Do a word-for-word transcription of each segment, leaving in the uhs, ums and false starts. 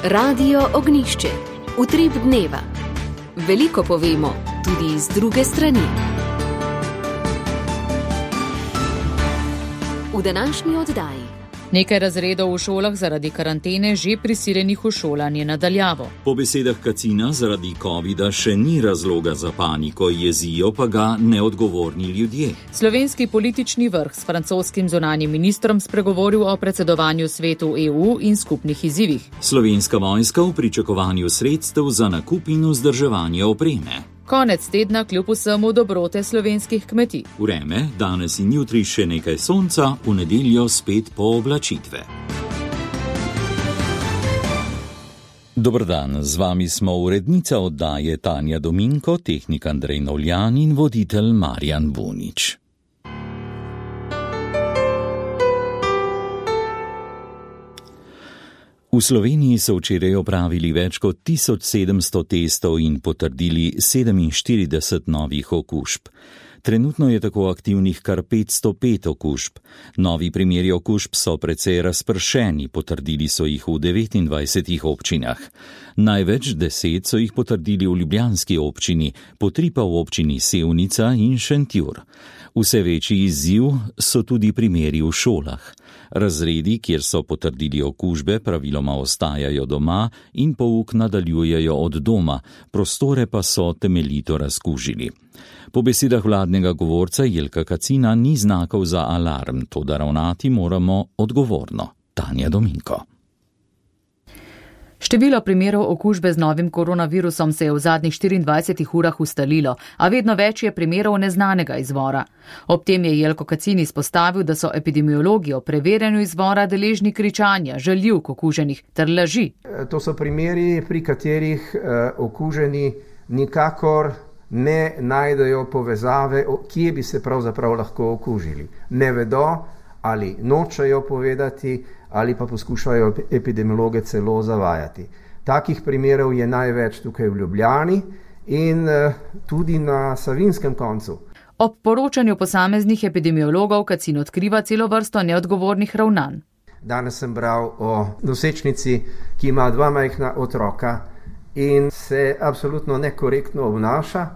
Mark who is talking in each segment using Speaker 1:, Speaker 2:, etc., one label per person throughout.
Speaker 1: Radio Ognjišče. Utrip dneva. Veliko povemo, tudi iz druge strani. V današnji oddaji.
Speaker 2: Nekaj razredov v šolah zaradi karantene že prisiljenih v šolanje nadaljavo.
Speaker 3: Po besedah Kacina zaradi covida še ni razloga za paniko, jezijo pa ga neodgovorni ljudje.
Speaker 2: Slovenski politični vrh s francoskim zunanjim ministrom spregovoril o predsedovanju svetu E U in skupnih izzivih.
Speaker 3: Slovenska vojska v pričakovanju sredstev za nakup in vzdrževanje opreme.
Speaker 2: Konec tedna kljub vsemu dobrote slovenskih kmetij.
Speaker 3: Vreme, danes in jutri še nekaj sonca, v nedeljo spet pooblačitve. Dober dan, z vami smo urednica oddaje Tanja Dominko, tehnik Andrej Novljan in voditelj Marjan Bunič. V Sloveniji so včeraj opravili več kot tisoč sedemsto testov in potrdili sedeminštirideset novih okužb. Trenutno je tako aktivnih kar petsto pet okužb. Novi primeri okužb so precej razpršeni, potrdili so jih v devetindvajsetih občinah. Največ deset so jih potrdili v ljubljanski občini, po tri pa v občini Sevnica in Šentjur. Vse večji izziv so tudi primeri v šolah. Razredi, kjer so potrdili okužbe, praviloma ostajajo doma in pouk nadaljujejo od doma, prostore pa so temeljito razkužili. Po besedah vladnega govorca Jelka Kacina ni znakov za alarm, toda ravnati moramo odgovorno. Tanja Dominko.
Speaker 2: Število primerov okužbe z novim koronavirusom se je v zadnjih štiriindvajsetih urah ustalilo, a vedno več je primerov neznanega izvora. Ob tem je Jelko Kacin izpostavil, da so epidemiologi o preverjanju izvora deležni kričanja, žaljivk okuženih ter laži.
Speaker 4: To so primeri, pri katerih okuženi nikakor ne najdejo povezave, kje bi se pravzaprav lahko okužili. Ne vedo ali nočejo povedati, ali pa poskušajo epidemiologe celo zavajati. Takih primerov je največ tukaj v Ljubljani in tudi na Savinjskem koncu.
Speaker 2: Ob poročanju posameznih epidemiologov Kacin odkriva celo vrsto neodgovornih ravnanj.
Speaker 4: Danes sem bral o nosečnici, ki ima dva majhna otroka in se absolutno nekorektno obnaša,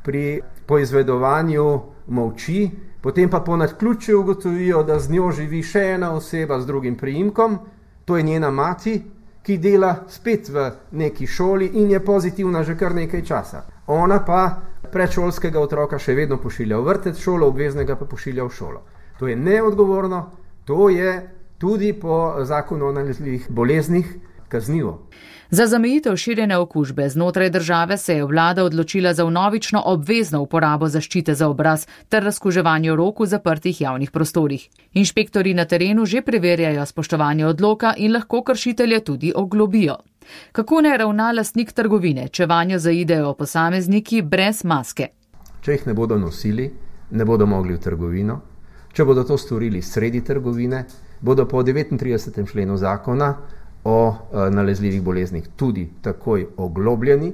Speaker 4: pri poizvedovanju molči, potem pa po naključju ugotovijo, da z njo živi še ena oseba z drugim priimkom, to je njena mati, ki dela spet v neki šoli in je pozitivna že kar nekaj časa. Ona pa predšolskega otroka še vedno pošilja v vrtec, šolo obveznega pa pošilja v šolo. To je neodgovorno, to je tudi po zakonu o nalezljivih boleznih kaznivo.
Speaker 2: Za zamejitev širjenja okužbe znotraj države se je vlada odločila za vnovično obvezno uporabo zaščite za obraz ter razkuževanje rok v zaprtih javnih prostorih. Inšpektorji na terenu že preverjajo spoštovanje odloka in lahko kršitelje tudi oglobijo. Kako naj ravna lastnik trgovine, če vanjo zaidejo posamezniki brez maske?
Speaker 4: Če jih ne bodo nosili, ne bodo mogli v trgovino. Če bodo to storili sredi trgovine, bodo po devetintridesetem členu zakona o nalezljivih boleznih tudi takoj oglobljeni.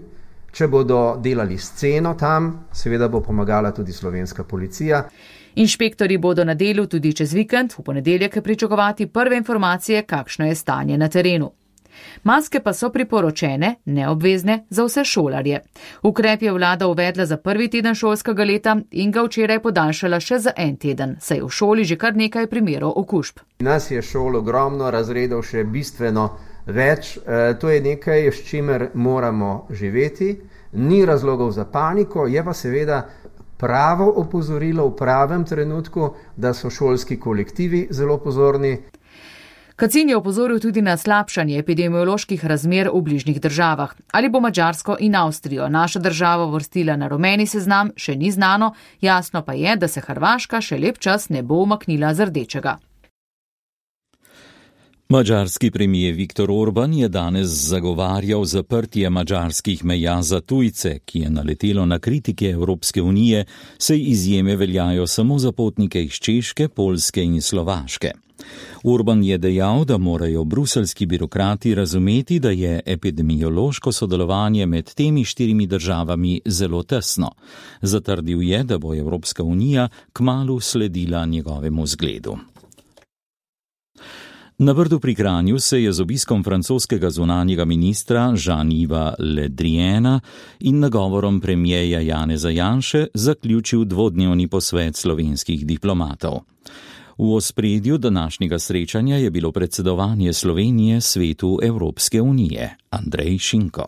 Speaker 4: Če bodo delali sceno tam, seveda bo pomagala tudi slovenska policija.
Speaker 2: Inšpektorji bodo na delu tudi čez vikend, v ponedeljek pričakovati prve informacije, kakšno je stanje na terenu. Maske pa so priporočene, neobvezne za vse šolarje. Ukrep je vlada uvedla za prvi teden šolskega leta in ga včeraj podaljšala še za en teden, saj je v šoli že kar nekaj primerov okužb.
Speaker 4: Nas je šol ogromno, razredov še bistveno več. E, to je nekaj, s čimer moramo živeti. Ni razlogov za paniko, je pa seveda pravo opozorilo v pravem trenutku, da so šolski kolektivi zelo pozorni.
Speaker 2: Kacin je opozoril tudi na slabšanje epidemioloških razmer v bližnjih državah. Ali bo Madžarsko in Avstrijo naša država vrstila na rumeni seznam, še ni znano, jasno pa je, da se Hrvaška še lep čas ne bo umaknila z rdečega.
Speaker 3: Madžarski premijer Viktor Orban je danes zagovarjal zaprtje madžarskih meja za tujce, ki je naletelo na kritike Evropske unije, saj izjeme veljajo samo za potnike iz Češke, Poljske in Slovaške. Orban je dejal, da morajo bruseljski birokrati razumeti, da je epidemiološko sodelovanje med temi štirimi državami zelo tesno. Zatrdil je, da bo Evropska unija kmalu sledila njegovemu zgledu. Na Brdu pri Kranju se je z obiskom francoskega zunanjega ministra Jean-Yves Le Driana in nagovorom premijeja Janeza Janše zaključil dvodnevni posvet slovenskih diplomatov. V ospredju današnjega srečanja je bilo predsedovanje Slovenije svetu Evropske unije. Andrej Šinko.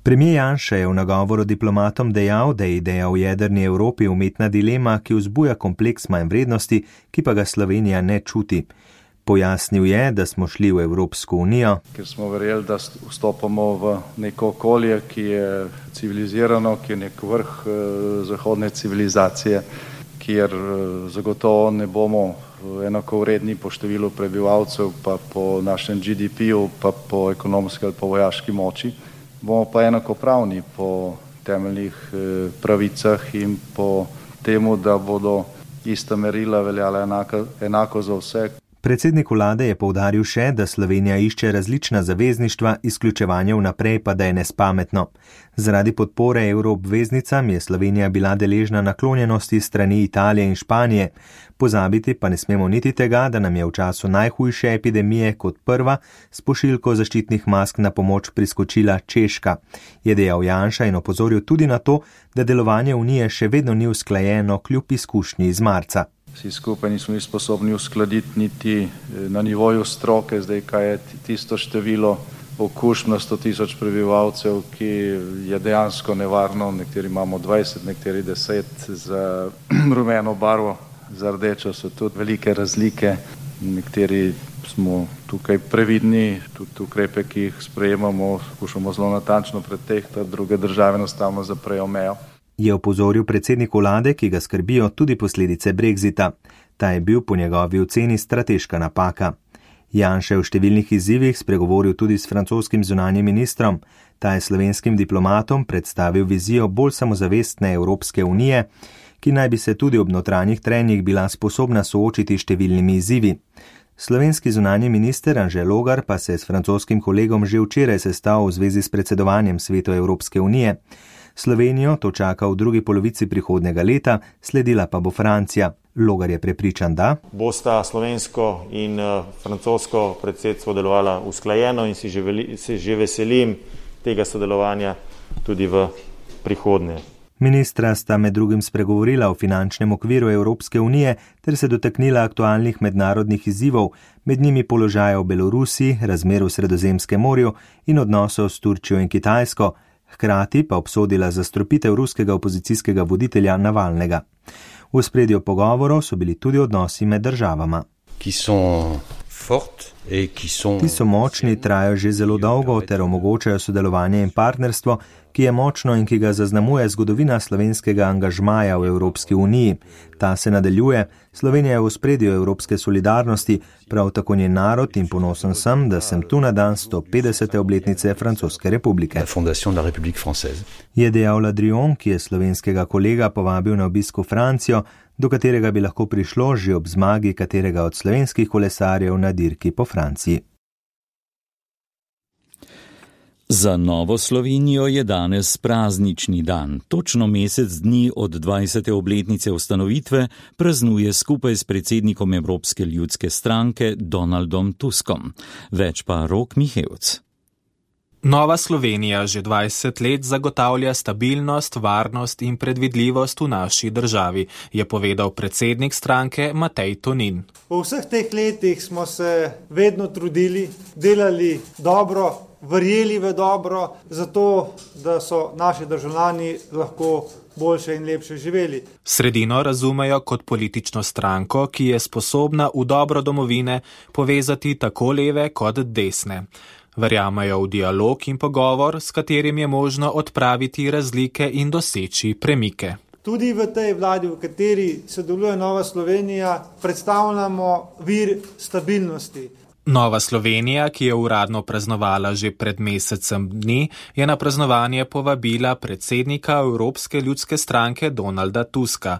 Speaker 5: Premijer Janša je v nagovoru diplomatom dejal, da je ideja o jedrni Evropi umetna dilema, ki vzbuja kompleks manj vrednosti, ki pa ga Slovenija ne čuti. Pojasnil je, da smo šli v Evropsko unijo,
Speaker 6: ker smo verjeli, da vstopamo v neko okolje, ki je civilizirano, ki je nek vrh zahodne civilizacije, kjer zagotovo ne bomo enakovredni po številu prebivalcev, pa po našem G D P-ju, pa po ekonomski ali po vojaški moči. Bomo pa enakopravni po temeljnih pravicah in po temu, da bodo ista merila veljala enako, enako za vse.
Speaker 5: Predsednik vlade je poudaril še, da Slovenija išče različna zavezništva, izključevanje vnaprej pa da je nespametno. Zaradi podpore evroobveznicam je Slovenija bila deležna naklonjenosti strani Italije in Španije. Pozabiti pa ne smemo niti tega, da nam je v času najhujše epidemije kot prva s pošiljko zaščitnih mask na pomoč priskočila Češka. Je dejal Janša in opozoril tudi na to, da delovanje Unije še vedno ni usklajeno kljub izkušnji iz marca.
Speaker 6: Vsi skupaj nismo bili sposobni uskladiti niti na nivoju stroke, zdaj kaj je tisto število okužb na sto tisoč prebivalcev, ki je dejansko nevarno, nekateri imamo dvajset, nekateri deset, za rumeno barvo, za rdečo so tudi velike razlike, nekateri smo tukaj previdni, tudi ukrepe, ki jih sprejemamo, skušamo zelo natančno pretehtati, druge države enostavno zaprejo mejo.
Speaker 5: Je opozoril predsednik vlade, ki ga skrbijo tudi posledice Brexita. Ta je bil po njegovi oceni strateška napaka. Janša je v številnih izzivih spregovoril tudi s francoskim zunanjim ministrom. Ta je slovenskim diplomatom predstavil vizijo bolj samozavestne Evropske unije, ki naj bi se tudi ob notranjih trenjih bila sposobna soočiti številnimi izzivi. Slovenski zunanji minister Anže Logar pa se je s francoskim kolegom že včeraj sestal v zvezi s predsedovanjem svetu Evropske unije. Slovenijo to čaka v drugi polovici prihodnega leta, sledila pa bo Francija. Logar je prepričan, da
Speaker 7: bosta slovensko in francosko predsedstvo delovala usklajeno in si že, veli, si že veselim tega sodelovanja tudi v prihodnje.
Speaker 5: Ministra sta med drugim spregovorila o finančnem okviru Evropske unije ter se dotaknila aktualnih mednarodnih izzivov, med njimi položaja v Belorusiji, razmer v Sredozemskem morju in odnosov s Turčijo in Kitajsko. Hkrati pa obsodila zastrupitev ruskega opozicijskega voditelja Navalnega. V ospredju pogovorov so bili tudi odnosi med državama.
Speaker 8: Ki so fort in ki so...
Speaker 5: Ti so močni, trajajo že zelo dolgo ter omogočajo sodelovanje in partnerstvo, ki je močno in ki ga zaznamuje zgodovina slovenskega angažmaja v Evropski uniji. Ta se nadaljuje, Slovenija je v ospredju evropske solidarnosti, prav tako njen narod in ponosen sem, da sem tu na dan sto petdesete obletnice Francoske republike. Je dejal Le Drian, ki je slovenskega kolega povabil na obisk v Francijo, do katerega bi lahko prišlo že ob zmagi katerega od slovenskih kolesarjev na dirki po Franciji.
Speaker 3: Za Novo Slovenijo je danes praznični dan. Točno mesec dni od dvajsete obletnice ustanovitve praznuje skupaj s predsednikom Evropske ljudske stranke Donaldom Tuskom. Več pa Rok Mihevc.
Speaker 9: Nova Slovenija že dvajset let zagotavlja stabilnost, varnost in predvidljivost v naši državi, je povedal predsednik stranke Matej Tonin.
Speaker 10: V vseh teh letih smo se vedno trudili, delali dobro, verjeli v dobro, zato da so naši državljani lahko boljše in lepše živeli.
Speaker 9: Sredino razumejo kot politično stranko, ki je sposobna v dobro domovine povezati tako leve kot desne. Verjamejo v dialog in pogovor, s katerim je možno odpraviti razlike in doseči premike.
Speaker 10: Tudi v tej vladi, v kateri sodeluje Nova Slovenija, predstavljamo vir stabilnosti.
Speaker 9: Nova Slovenija, ki je uradno praznovala že pred mesecem dni, je na praznovanje povabila predsednika Evropske ljudske stranke Donalda Tuska.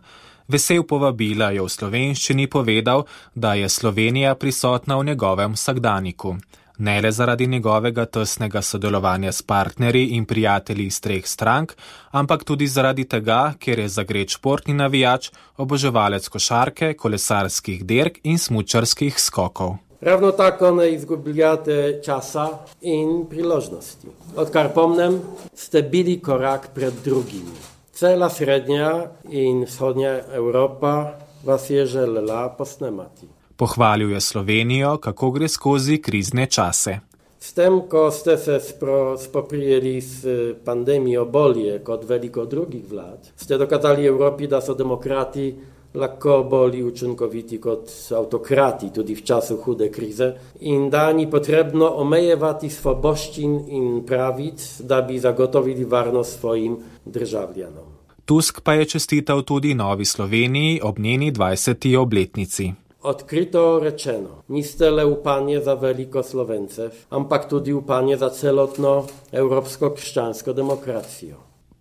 Speaker 9: Vesel povabila je v slovenščini povedal, da je Slovenija prisotna v njegovem vsakdaniku. Ne le zaradi njegovega tesnega sodelovanja s partnerji in prijatelji iz treh strank, ampak tudi zaradi tega, ker je zagret športni navijač, oboževalec košarke, kolesarskih dirk in smučarskih skokov.
Speaker 11: Ravno tako ne izgubljate časa in priložnosti. Odkar pomnem, ste bili korak pred drugimi. Cela srednja in vzhodnja Evropa vas je želela posnemati.
Speaker 9: Pohvalil je Slovenijo, kako gre skozi krizne čase.
Speaker 11: S tem, ko ste se spro, spoprijeli s pandemijo bolje kot veliko drugih vlad, ste dokazali Evropi, da so demokrati lahko bolj učinkoviti kot autokrati tudi v času hude krize in da ni potrebno omejevati svoboščin in pravic, da bi zagotovili varnost svojim državljanom.
Speaker 9: Tusk pa je čestital tudi Novi Sloveniji ob njeni dvajseti obletnici.
Speaker 11: Odkrito rečeno, niste le upanje za veliko Slovencev, ampak tudi upanje za celotno evropsko krščansko demokracijo.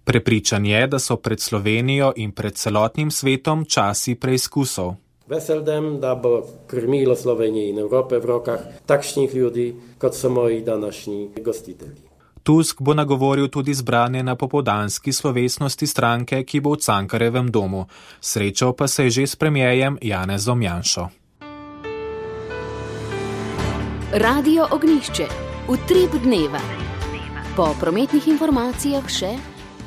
Speaker 9: Prepričan je, da so pred Slovenijo in pred celotnim svetom časi preizkusov.
Speaker 11: Veseldem, da bo krmilo Slovenije in Evrope v rokah takšnih ljudi, kot so moji današnji gostitelji.
Speaker 9: Tusk bo nagovoril tudi zbrane na popoldanski slovesnosti stranke, ki bo v Cankarjevem domu. Srečal pa se je že s premierjem Janezom Janšo.
Speaker 1: Radio Ognjišče. Utrip dneva. Po prometnih informacijah še...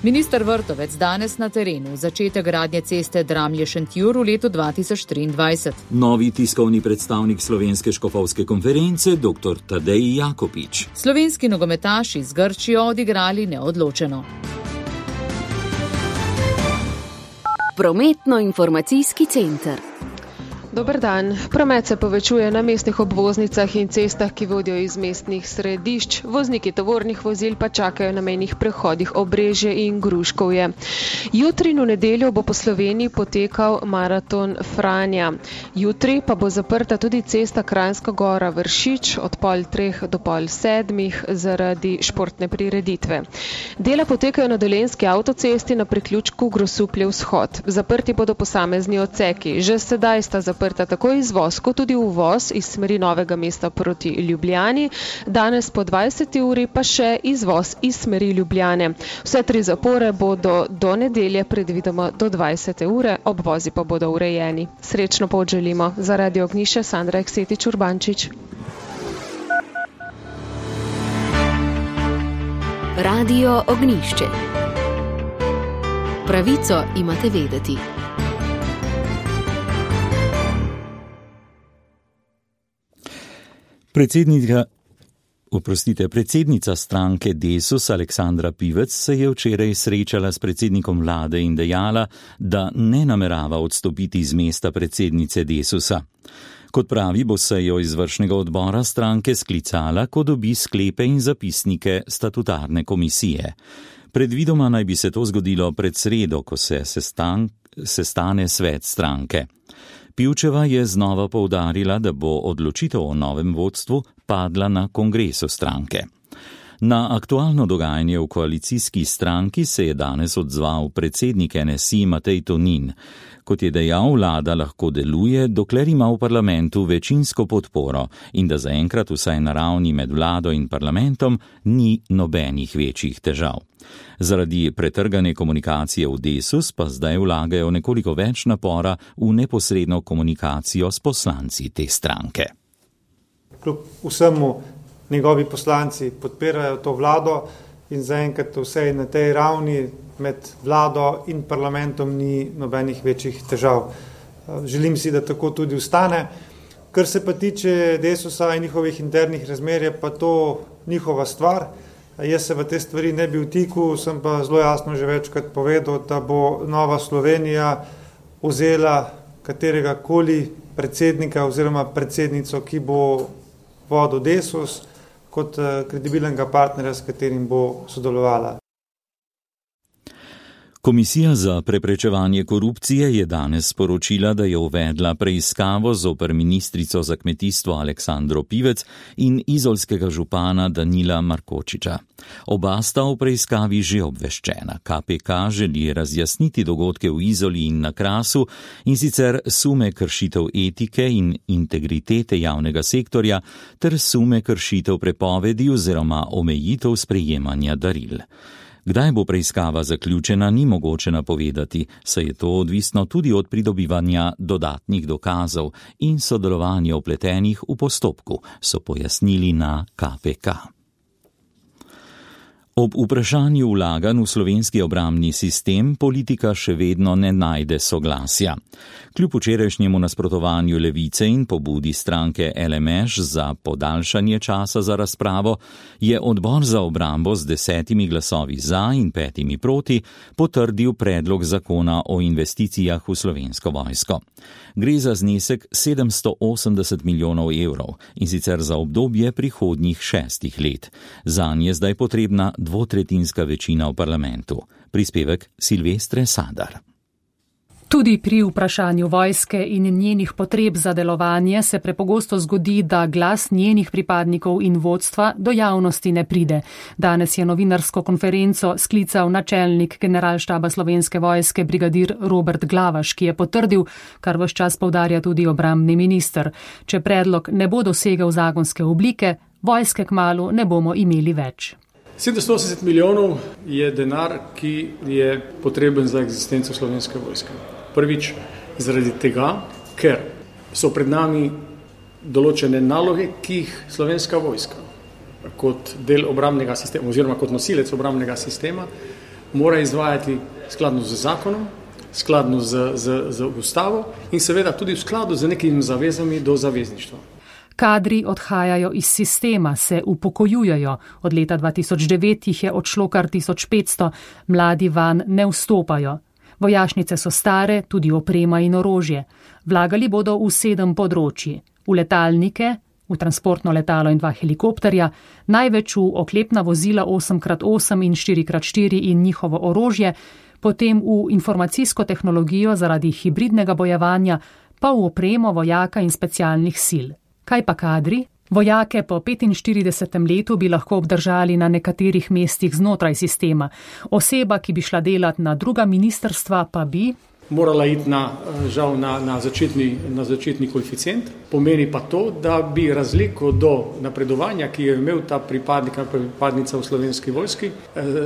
Speaker 2: Minister Vrtovec danes na terenu, začetek gradnje ceste Dramlje-Šentjur v letu dva tisoč triindvajset.
Speaker 3: Novi tiskovni predstavnik Slovenske škofovske konference, dr. Tadej Jakopič.
Speaker 2: Slovenski nogometaši z Grčijo odigrali neodločeno.
Speaker 1: Prometno-informacijski center.
Speaker 12: Dober dan. Promet se povečuje na mestnih obvoznicah in cestah, ki vodijo iz mestnih središč. Vozniki tovornih vozil pa čakajo na mejnih prehodih Obrežje in Gruškovje. Jutri in v nedeljo bo po Sloveniji potekal maraton Franja. Jutri pa bo zaprta tudi cesta Kranjska Gora Vršič od pol treh do pol sedmih zaradi športne prireditve. Dela potekajo na Dolenjski avtocesti na priključku Grosuplje vzhod. Zaprti bodo posamezni odseki. Že sedaj sta zaprti tako izvoz kot tudi uvoz iz smeri Novega mesta proti Ljubljani, danes po dvajseti uri pa še izvoz iz smeri Ljubljane. Vse tri zapore bodo do nedelje predvidoma do dvajsete ure, obvozi pa bodo urejeni. Srečno pot želimo. Za Radio Ognjišče Sandra Eksetič Urbančič.
Speaker 1: Radio Ognjišče. Pravico imate vedeti.
Speaker 3: Predsednica, oprostite, predsednica stranke Desus Aleksandra Pivec se je včeraj srečala s predsednikom vlade in dejala, da ne namerava odstopiti z mesta predsednice Desusa. Kot pravi, bo sejo izvršnega odbora stranke sklicala, ko dobi sklepe in zapisnike statutarne komisije. Predvidoma naj bi se to zgodilo pred sredo, ko se sestan, sestane svet stranke. Pivčeva je znova poudarila, da bo odločitev o novem vodstvu padla na kongresu stranke. Na aktualno dogajanje v koalicijski stranki se je danes odzval predsednik N S I Matej Tonin. Kot je dejal, vlada lahko deluje, dokler ima v parlamentu večinsko podporo in da zaenkrat vsaj na ravni med vlado in parlamentom ni nobenih večjih težav. Zaradi pretrgane komunikacije v Desus pa zdaj vlagajo nekoliko več napora v neposredno komunikacijo s poslanci te stranke.
Speaker 10: Kljub vsemu njegovi poslanci podpirajo to vlado in zaenkrat vse na tej ravni med vlado in parlamentom ni nobenih večjih težav. Želim si, da tako tudi ostane. Kar se pa tiče Desusa in njihovih internih razmer, je pa to njihova stvar. Jaz se v te stvari ne bi vtikal, sem pa zelo jasno že večkrat povedal, da bo Nova Slovenija vzela katerega koli predsednika oziroma predsednico, ki bo vodil Desus, kot kredibilnega partnerja, s katerim bo sodelovala.
Speaker 3: Komisija za preprečevanje korupcije je danes sporočila, da je uvedla preiskavo zoper ministrico za kmetijstvo Aleksandro Pivec in izolskega župana Danila Markočiča. Oba sta v preiskavi že obveščena. K P K želi razjasniti dogodke v Izoli in na Krasu in sicer sume kršitev etike in integritete javnega sektorja ter sume kršitev prepovedi oziroma omejitev sprejemanja daril. Kdaj bo preiskava zaključena, ni mogoče napovedati, saj je to odvisno tudi od pridobivanja dodatnih dokazov in sodelovanja vpletenih v postopku, so pojasnili na K P K. Ob vprašanju vlaganj v slovenski obrambni sistem politika še vedno ne najde soglasja. Kljub včerajšnjemu nasprotovanju Levice in pobudi stranke L M Š za podaljšanje časa za razpravo, je odbor za obrambo z desetimi glasovi za in petimi proti potrdil predlog zakona o investicijah v Slovensko vojsko. Gre za znesek sedemsto osemdeset milijonov evrov in sicer za obdobje prihodnjih šestih let. Zanj je zdaj potrebna dvotretjinska večina v parlamentu. Prispevek Silvestre Sadar.
Speaker 13: Tudi pri vprašanju vojske in njenih potreb za delovanje se prepogosto zgodi, da glas njenih pripadnikov in vodstva do javnosti ne pride. Danes je novinarsko konferenco sklical načelnik generalštaba Slovenske vojske brigadir Robert Glavaš, ki je potrdil, kar ves čas poudarja tudi obrambni minister. Če predlog ne bo dosegel zakonske oblike, vojske kmalu ne bomo imeli več.
Speaker 14: sedemsto osemdeset milijonov je denar, ki je potreben za eksistenco Slovenske vojske. Prvič zaradi tega, ker so pred nami določene naloge, ki jih Slovenska vojska kot del obrambnega sistema oziroma kot nosilec obrambnega sistema mora izvajati skladno z zakonom, skladno z, z, z ustavo in seveda tudi v skladu z nekimi zavezami do zavezništva.
Speaker 13: Kadri odhajajo iz sistema, se upokojujejo. Od leta dva tisoč devet jih je odšlo kar tisoč petsto, mladi van ne vstopajo. Vojašnice so stare, tudi oprema in orožje. Vlagali bodo v sedem področji. V letalnike, v transportno letalo in dva helikopterja, največ v oklepna vozila osem krat osem in štiri krat štiri in njihovo orožje, potem v informacijsko tehnologijo zaradi hibridnega bojevanja, pa v opremo vojaka in specialnih sil. Kaj pa kadri? Vojake po petinštiridesetem letu bi lahko obdržali na nekaterih mestih znotraj sistema. Oseba, ki bi šla delat na druga ministrstva, pa bi
Speaker 14: morala iti na, žal na, na, začetni, na začetni koeficient. Pomeni pa to, da bi razliko do napredovanja, ki je imel ta pripadnik ali pripadnica v Slovenski vojski,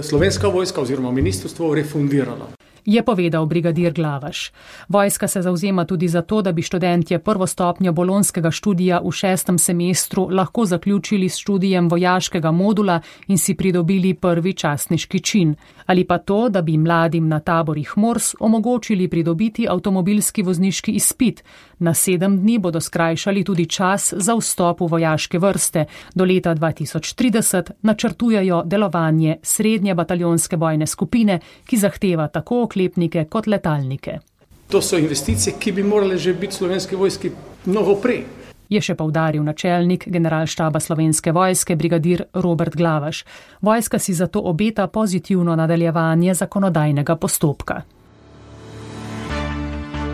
Speaker 14: Slovenska vojska oziroma ministrstvo refundirala.
Speaker 13: Je povedal brigadir Glavaš. Vojska se zavzema tudi za to, da bi študentje prvo stopnjo bolonskega študija v šestem semestru lahko zaključili s študijem vojaškega modula in si pridobili prvi častniški čin. Ali pa to, da bi mladim na taborih Mors omogočili pridobiti avtomobilski vozniški izpit. Na sedem dni bodo skrajšali tudi čas za vstop v vojaške vrste. Do leta dva tisoč trideset načrtujejo delovanje srednje bataljonske bojne skupine, ki zahteva tako oklepnike kot letalnike.
Speaker 14: To so investicije, ki bi morale že biti Slovenski vojski mnogo prej.
Speaker 13: Je še poudaril načelnik generalštaba Slovenske vojske brigadir Robert Glavaš. Vojska si zato obeta pozitivno nadaljevanje zakonodajnega postopka.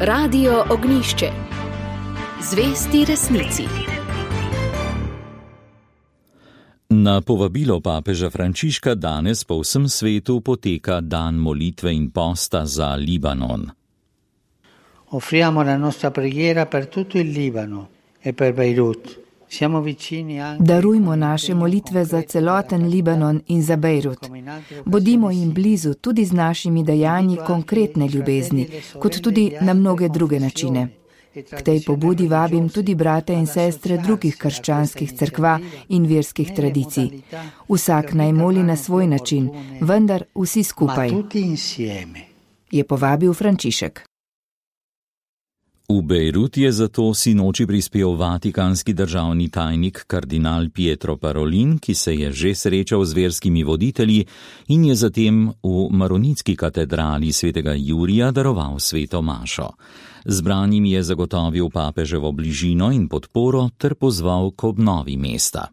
Speaker 1: Radio Ognjišče. Zvesti resnici.
Speaker 3: Na povabilo papeža Frančiška danes po vsem svetu poteka dan molitve in posta za Libanon.
Speaker 15: Offriamo la nostra preghiera per tutto il Libano e per Beirut. Siamo vicini anche...
Speaker 16: Darujmo naše molitve za celoten Libanon in za Bejrut. Bodimo jim blizu tudi z našimi dejanji konkretne ljubezni, kot tudi na mnoge druge načine. K tej pobudi vabim tudi brate in sestre drugih krščanskih cerkva in verskih tradicij. Vsak naj moli na svoj način, vendar vsi skupaj, je povabil Frančišek.
Speaker 3: V Bejrut je zato sinoči prispel vatikanski državni tajnik kardinal Pietro Parolin, ki se je že srečal z verskimi voditelji in je zatem v maronitski katedrali svetega Jurija daroval sveto mašo. Zbranim je zagotovil papeževo bližino in podporo ter pozval k obnovi mesta.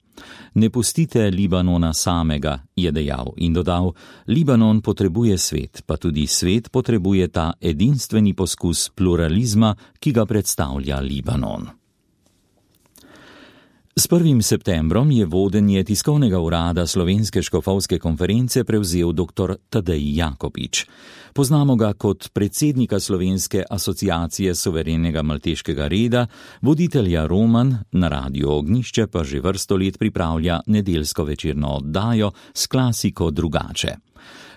Speaker 3: Ne pustite Libanona samega, je dejal in dodal, Libanon potrebuje svet, pa tudi svet potrebuje ta edinstveni poskus pluralizma, ki ga predstavlja Libanon. S prvim septembrom je vodenje tiskovnega urada Slovenske škofovske konference prevzel dr. Tadej Jakopič. Poznamo ga kot predsednika Slovenske asociacije suverenega malteškega reda, voditelja Roman, na Radiu Ognjišče pa že vrsto let pripravlja nedeljsko večerno oddajo s klasiko Drugače.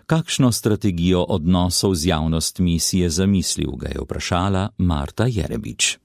Speaker 3: Kakšno strategijo odnosov z javnostmi si je zamislil, ga je vprašala Marta Jerebič.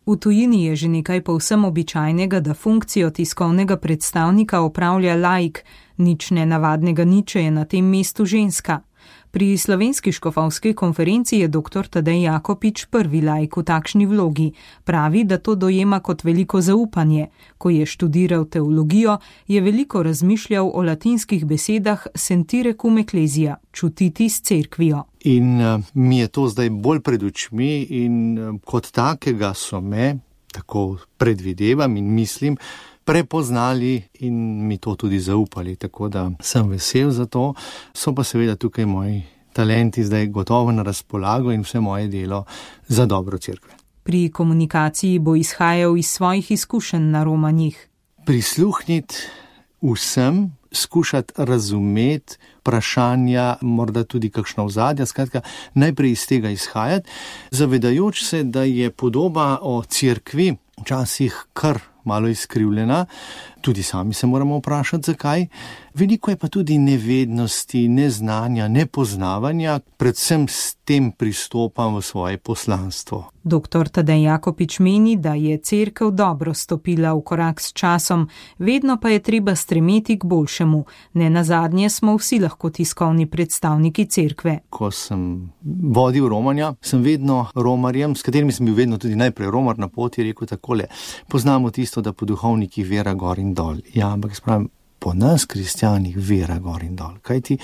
Speaker 17: V tujini je že nekaj povsem običajnega, da funkcijo tiskovnega predstavnika opravlja laik, nič nenavadnega ni, če je na tem mestu ženska. Pri slovenski škofovski konferenci je dr. Tadej Jakopič prvi laik v takšni vlogi. Pravi, da to dojema kot veliko zaupanje. Ko je študiral teologijo, je veliko razmišljal o latinskih besedah sentire cum ecclesia, čutiti s cerkvijo.
Speaker 18: In uh, mi je to zdaj bolj pred očmi in uh, kot takega so me, tako predvidevam in mislim, prepoznali in mi to tudi zaupali, tako da sem vesel za to. So pa seveda tukaj moji talenti zdaj gotovo na razpolago in vse moje delo za dobro cerkve.
Speaker 17: Pri komunikaciji bo izhajal iz svojih izkušenj na romanjih.
Speaker 18: Prisluhniti vsem, skušati razumeti vprašanja, morda tudi kakšna ozadja, skratka, najprej iz tega izhajati, zavedajoč se, da je podoba o cerkvi včasih kar malo izkrivljena, tudi sami se moramo vprašati, zakaj. Veliko je pa tudi nevednosti, neznanja, nepoznavanja, predvsem s tem pristopam v svoje poslanstvo.
Speaker 17: Doktor Tadej Jakopič meni, da je cerkev dobro stopila v korak s časom, vedno pa je treba stremeti k boljšemu. Nenazadnje smo vsi lahko tiskovni predstavniki cerkve.
Speaker 18: Ko sem vodil romanja, sem vedno romarjem, s katerimi sem bil vedno tudi najprej romar na poti, rekel takole: poznamo tisto, da po duhovnikih vera gor in dol. Ja, ampak spravim, po nas, kristjanih, vera gor in dol. Kajti,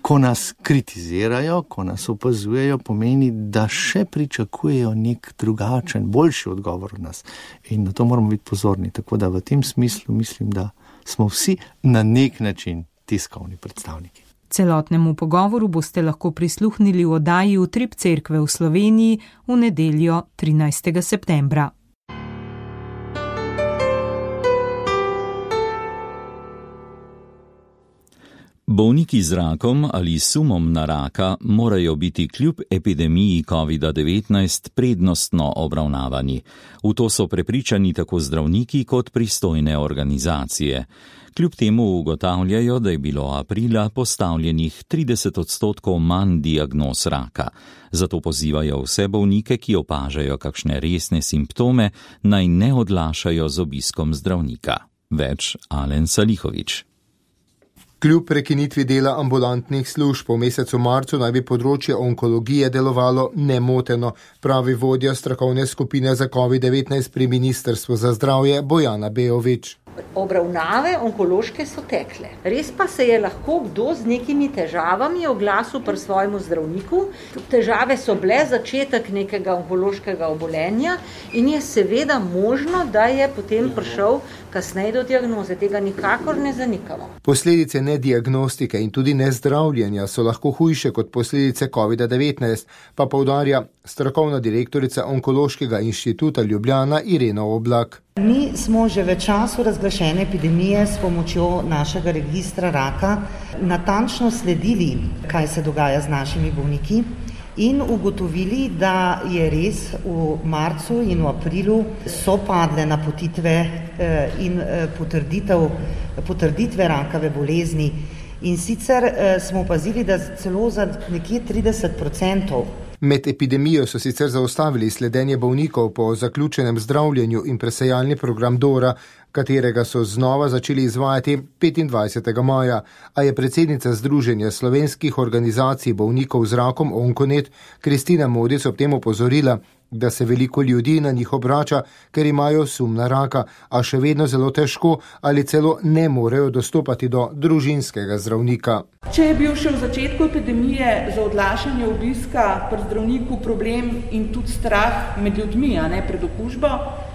Speaker 18: ko nas kritizirajo, ko nas opazujejo, pomeni, da še pričakujejo nek drugačen, boljši odgovor od nas. In na to moramo biti pozorni. Tako da v tem smislu mislim, da smo vsi na nek način tiskovni predstavniki.
Speaker 17: Celotnemu pogovoru boste lahko prisluhnili v oddaji Utrip cerkve v Sloveniji v nedeljo trinajstega septembra.
Speaker 3: Bolniki z rakom ali sumom na raka morajo biti kljub epidemiji kovida devetnajst prednostno obravnavani. V to so prepričani tako zdravniki kot pristojne organizacije. Kljub temu ugotavljajo, da je bilo aprila postavljenih trideset odstotkov manj diagnoz raka. Zato pozivajo vse bolnike, ki opažajo kakšne resne simptome, naj ne odlašajo z obiskom zdravnika. Več Alen Salihovič.
Speaker 19: Kljub prekinitvi dela ambulantnih služb v mesecu marcu naj bi področje onkologije delovalo nemoteno, pravi vodja strokovne skupine za covid devetnajst pri Ministrstvu za zdravje Bojana Bejovič.
Speaker 20: Obravnave onkološke so tekle. Res pa se je lahko kdo z nekimi težavami oglasil pri svojemu zdravniku. Težave so bile začetek nekega onkološkega obolenja in je seveda možno, da je potem prišel kasneje do diagnoze. Tega nikakor ne zanikamo.
Speaker 19: Posledice nediagnostike in tudi nezdravljenja so lahko hujše kot posledice kovida devetnajst, pa poudarja strokovna direktorica Onkološkega inštituta Ljubljana Irena Oblak.
Speaker 21: Mi smo že v času razglašene epidemije s pomočjo našega registra raka natančno sledili, kaj se dogaja z našimi bolniki in ugotovili, da je res v marcu in v aprilu so padle napotitve in potrditev, potrditve rakave bolezni. In sicer smo opazili, da celo za nekje trideset odstotkov.
Speaker 19: Med epidemijo so sicer zaustavili sledenje bolnikov po zaključenem zdravljenju in presejalni program Dora, katerega so znova začeli izvajati petindvajsetega maja, a je predsednica Združenja slovenskih organizacij bolnikov z rakom Onkonet Kristina Modic ob tem opozorila, da se veliko ljudi na njih obrača, ker imajo sum na raka, a še vedno zelo težko ali celo ne morejo dostopati do družinskega zdravnika.
Speaker 22: Če je bil še v začetku epidemije za odlašanje obiska pri zdravniku problem in tudi strah med ljudmi, a ne pred okužbo,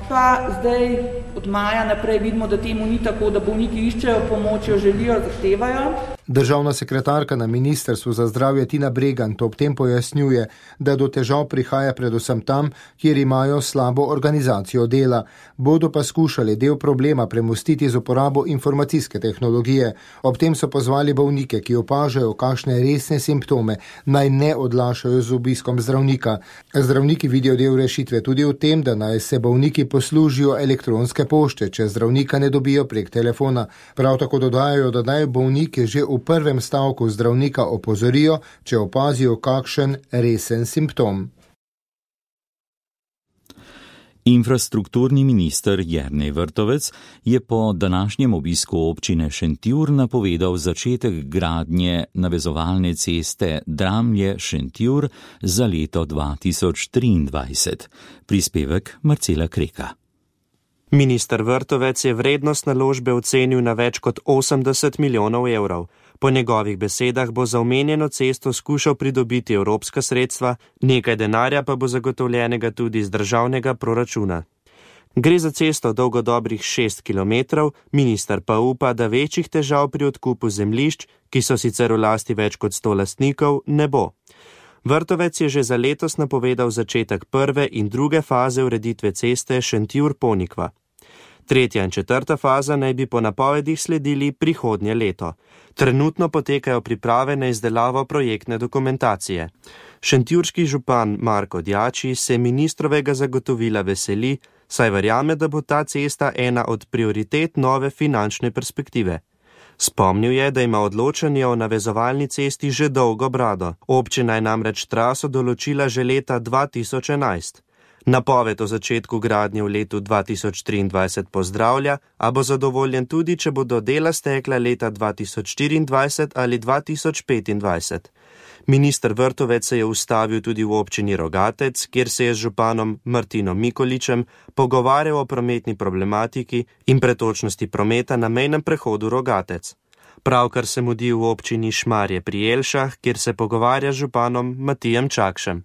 Speaker 22: pa zdaj od maja naprej vidimo, da temu ni tako, da bolniki iščejo pomoč, jo želijo, zahtevajo.
Speaker 19: Državna sekretarka na Ministrstvu za zdravje Tina Bregant ob tem pojasnjuje, da do težav prihaja predvsem tam, kjer imajo slabo organizacijo dela. Bodo pa skušali del problema premostiti z uporabo informacijske tehnologije. Ob tem so pozvali bolnike, ki opažajo kakšne resne simptome, naj ne odlašajo z obiskom zdravnika. Zdravniki vidijo del rešitve tudi v tem, da naj se bolniki poslužijo elektronske pošte, če zdravnika ne dobijo prek telefona. Prav tako dodajajo, da naj bolnike že prvem stavku zdravnika opozorijo, če opazijo kakšen resen simptom.
Speaker 3: Infrastrukturni minister Jernej Vrtovec je po današnjem obisku občine Šentjur napovedal začetek gradnje navezovalne ceste Dramlje-Šentjur za leto dva tisoč triindvajset. Prispevek Marcela Kreka.
Speaker 4: Minister Vrtovec je vrednost naložbe ocenil na več kot osemdeset milijonov evrov. Po njegovih besedah bo za omenjeno cesto skušal pridobiti evropska sredstva, nekaj denarja pa bo zagotovljenega tudi iz državnega proračuna. Gre za cesto dolgo dobrih šest kilometrov, minister pa upa, da večjih težav pri odkupu zemljišč, ki so sicer v lasti več kot sto lastnikov, ne bo. Vrtovec je že za letos napovedal začetek prve in druge faze ureditve ceste Šentjur-Ponikva. Tretja in četrta faza naj bi po napovedih sledili prihodnje leto. Trenutno potekajo priprave na izdelavo projektne dokumentacije. Šentjurški župan Marko Djači se ministrovega zagotovila veseli, saj verjame, da bo ta cesta ena od prioritet nove finančne perspektive. Spomnil je, da ima odločanje o navezovalni cesti že dolgo brado. Občina je namreč traso določila že leta dva tisoč enajst. Napoved o začetku gradnje v letu dva tisoč triindvajset pozdravlja, a bo zadovoljen tudi, če bodo dela stekla leta dva tisoč štiriindvajset ali dva tisoč petindvajset. Minister Vrtovec se je ustavil tudi v občini Rogatec, kjer se je z županom Martinom Mikoličem pogovarjal o prometni problematiki in pretočnosti prometa na mejnem prehodu Rogatec. Pravkar se mudi v občini Šmarje pri Jelšah, kjer se pogovarja z županom Matijem Čakšem.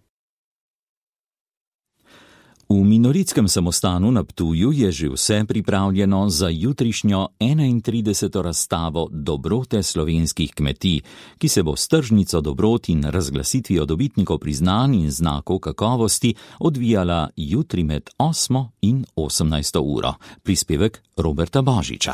Speaker 3: V Minoritskem samostanu na Ptuju je že vse pripravljeno za jutrišnjo enaintrideseto razstavo Dobrote slovenskih kmetij, ki se bo s tržnico dobrot in razglasitvijo dobitnikov priznanj in znakov kakovosti odvijala jutri med osmo in osemnajsto uro. Prispevek Roberta Božiča.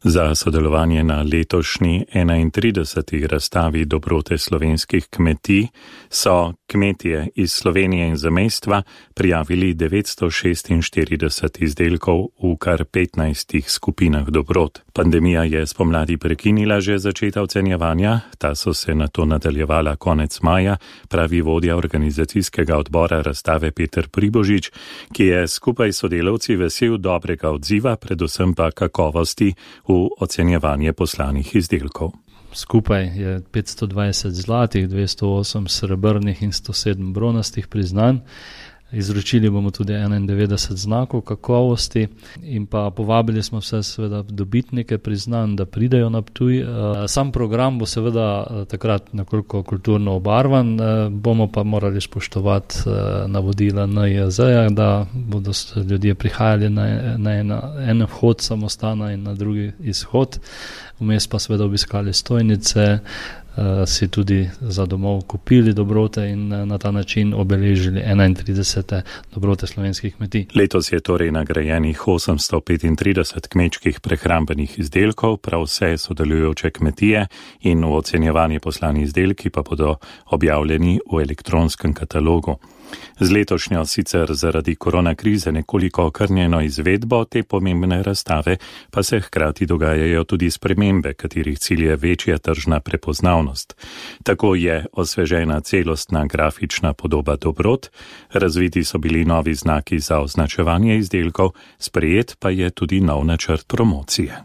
Speaker 6: Za sodelovanje na letošnji enaintrideseti razstavi Dobrote slovenskih kmetij so kmetje iz Slovenije in zamejstva prijavili devetsto šestinštirideset izdelkov v kar petnajstih skupinah dobrot. Pandemija je spomladi prekinila že začetek ocenjevanja, ta so se nato nadaljevala konec maja, pravi vodja organizacijskega odbora razstave Peter Pribožič, ki je skupaj s sodelavci vesel dobrega odziva, predvsem pa kakovosti v ocenjevanje poslanih izdelkov.
Speaker 23: Skupaj je petsto dvajset zlatih, dvesto osem srebrnih in sto sedem bronastih priznanj. Izročili bomo tudi enaindevetdeset znakov kakovosti in pa povabili smo vse seveda dobitnike priznanj, da pridejo na Ptuj. Sam program bo seveda takrat nekoliko kulturno obarvan, bomo pa morali spoštovati navodila N I J Z-ja, da bodo ljudje prihajali na, na en, en vhod samostana in na drugi izhod. Vmes pa seveda obiskali stojnice, si tudi za domov kupili dobrote in na ta način obeležili enaintridesete dobrote slovenskih kmetij.
Speaker 6: Letos je torej nagrajenih osemsto petintrideset kmečkih prehrambenih izdelkov, prav vse sodelujoče kmetije, in v ocenjevanje poslani izdelki pa bodo objavljeni v elektronskem katalogu. Z letošnjo sicer zaradi koronakrize nekoliko okrnjeno izvedbo te pomembne razstave pa se hkrati dogajajo tudi spremembe, katerih cilj je večja tržna prepoznavnost. Tako je osvežena celostna grafična podoba dobrot, razviti so bili novi znaki za označevanje izdelkov, sprejet pa je tudi nov načrt promocije.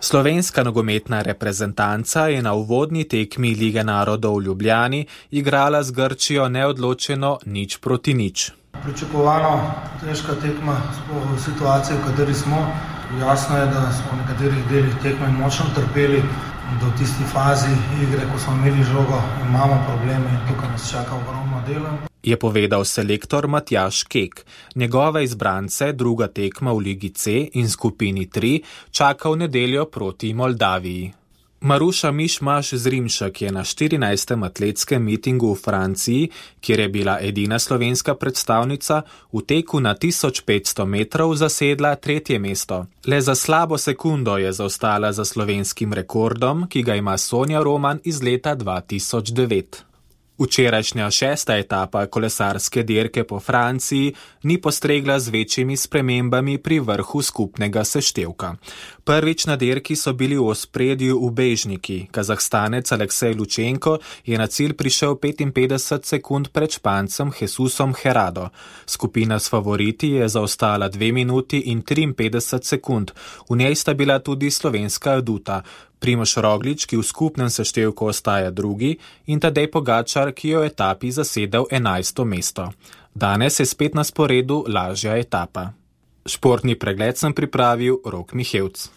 Speaker 9: Slovenska nogometna reprezentanca je na uvodni tekmi Lige narodov v Ljubljani igrala z Grčijo neodločeno nič proti nič.
Speaker 24: Pričakovano težka tekma v situaciji, v kateri smo. Jasno je, da smo v nekaterih delih tekme močno trpeli, da v tisti fazi igre, ko smo imeli žogo, imamo probleme in tukaj nas čaka ogromno dela.
Speaker 9: Je povedal selektor Matjaž Kek. Njegove izbrance druga tekma v Ligi C in skupini tri čaka v nedeljo proti Moldaviji. Maruša Mišmaš z Rimšek je na štirinajstem atletskem mitingu v Franciji, kjer je bila edina slovenska predstavnica, v teku na tisoč petsto metrov zasedla tretje mesto. Le za slabo sekundo je zaostala za slovenskim rekordom, ki ga ima Sonja Roman iz leta dva tisoč devet. Včerajšnja šesta etapa kolesarske dirke po Franciji ni postregla z večjimi spremembami pri vrhu skupnega seštevka. Prvič na dirki so bili v ospredju ubežniki. Kazahstanec Aleksej Lučenko je na cilj prišel petinpetdeset sekund pred Špancem Jesusom Herrado. Skupina s favoriti je zaostala dve minuti in triinpetdeset sekund. V njej sta bila tudi slovenska aduta. Primož Roglič, ki v skupnem seštevku ostaja drugi, in Tadej Pogačar, ki je v etapi zasedel enajsto mesto. Danes je spet na sporedu lažja etapa. Športni pregled sem pripravil Rok Mihevc.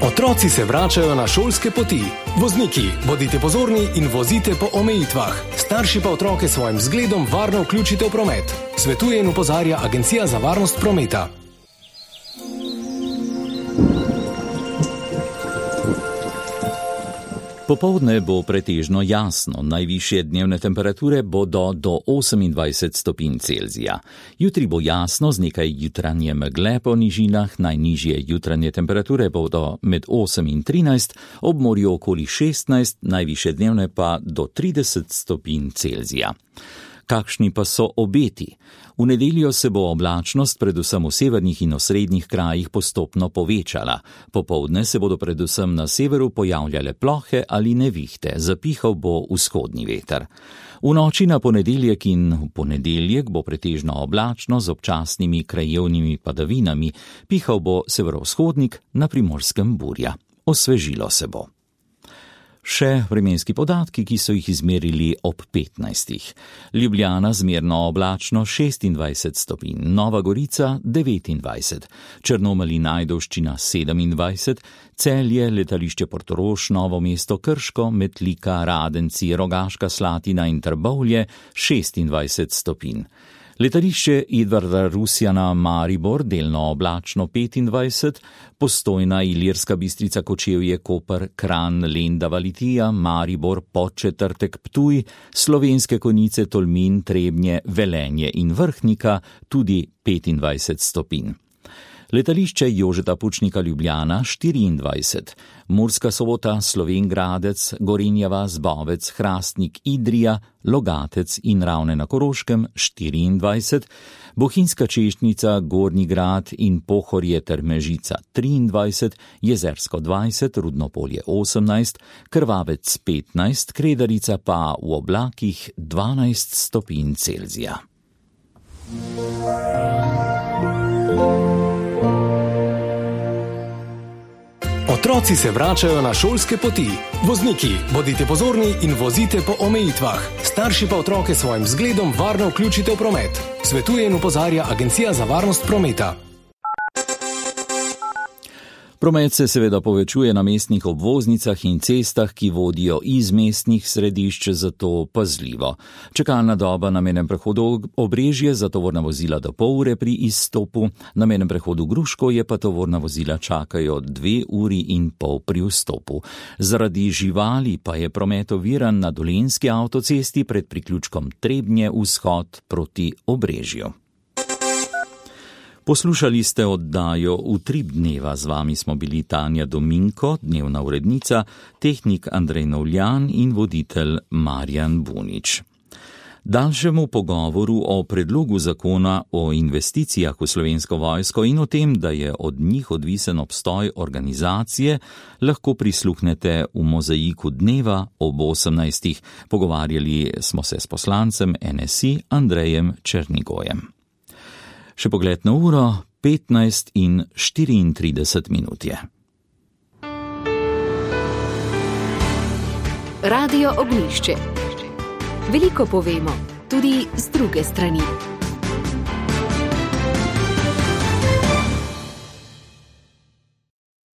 Speaker 5: Otroci se vračajo na šolske poti. Vozniki, bodite pozorni in vozite po omejitvah. Starši pa otroke svojim zgledom varno vključite v promet. Svetuje in opozarja Agencija za varnost prometa.
Speaker 3: Popoldne bo pretežno jasno, najvišje dnevne temperature bodo do osemindvajset stopinj Celzija. Jutri bo jasno z nekaj jutranje megle po nižinah, najnižje jutranje temperature bodo med osem in trinajst, ob morju okoli šestnajst, najvišje dnevne pa do trideset stopinj Celzija. Kakšni pa so obeti? V nedeljo se bo oblačnost predvsem v severnih in osrednjih krajih postopno povečala. Popoldne se bodo predvsem na severu pojavljale plohe ali nevihte, zapihal bo vzhodni veter. V noči na ponedeljek in v ponedeljek bo pretežno oblačno z občasnimi krajevnimi padavinami, pihal bo severovzhodnik, na Primorskem burja. Osvežilo se bo. Še vremenski podatki, ki so jih izmerili ob petnajstih. Ljubljana zmerno oblačno šestindvajset stopinj, Nova Gorica devetindvajset, Črnomelj in Ajdovščina sedemindvajset, Celje, letališče Portorož, Novo mesto, Krško, Metlika, Radenci, Rogaška Slatina in Trbovlje šestindvajset stopinj. Letališče Edvarda Rusjana Maribor delno oblačno petindvajset, Postojna, Ilirska Bistrica, Kočevje, Koper, Kranj, Lendava, Litija, Maribor, Podčetrtek, Ptuj, Slovenske Konjice, Tolmin, Trebnje, Velenje in Vrhnika tudi petindvajset stopinj. Letališče Jožeta Pučnika Ljubljana štiriindvajset, Murska Sobota, Slovenj Gradec, Gorenja vas, Bovec, Hrastnik, Idrija, Logatec in Ravne na Koroškem štiriindvajset, Bohinjska Češnjica, Gornji Grad in Pohorje ter Mežica triindvajset, Jezersko dvajset, Rudnopolje osemnajst, Krvavec petnajst, Kredarica pa v oblakih dvanajst stopinj Celzija.
Speaker 5: Otroci se vračajo na šolske poti. Vozniki, bodite pozorni in vozite po omejitvah. Starši pa otroke svojim zgledom varno vključite v promet. Svetuje in opozarja Agencija za varnost prometa.
Speaker 3: Promet se seveda povečuje na mestnih obvoznicah in cestah, ki vodijo iz mestnih središč, zato pazljivo. Čakalna doba na mejnem prehodu Obrežje za tovorna vozila do pol ure pri izstopu, na mejnem prehodu Gruškovje pa tovorna vozila čakajo dve uri in pol pri vstopu. Zaradi živali pa je promet oviran na Dolenjski avtocesti pred priključkom Trebnje vzhod proti Obrežju. Poslušali ste oddajo Utrip dneva, z vami smo bili Tanja Dominko, dnevna urednica, tehnik Andrej Novljan in voditelj Marjan Bunič. Daljšemu pogovoru o predlogu zakona o investicijah v Slovensko vojsko in o tem, da je od njih odvisen obstoj organizacije, lahko prisluhnete v Mozaiku dneva ob osemnajstih. Pogovarjali smo se s poslancem N S I Andrejem Černigojem. Še pogled na uro, petnajst in štiriintrideset minut je.
Speaker 1: Radio Ognjišče. Veliko povemo, tudi z druge strani.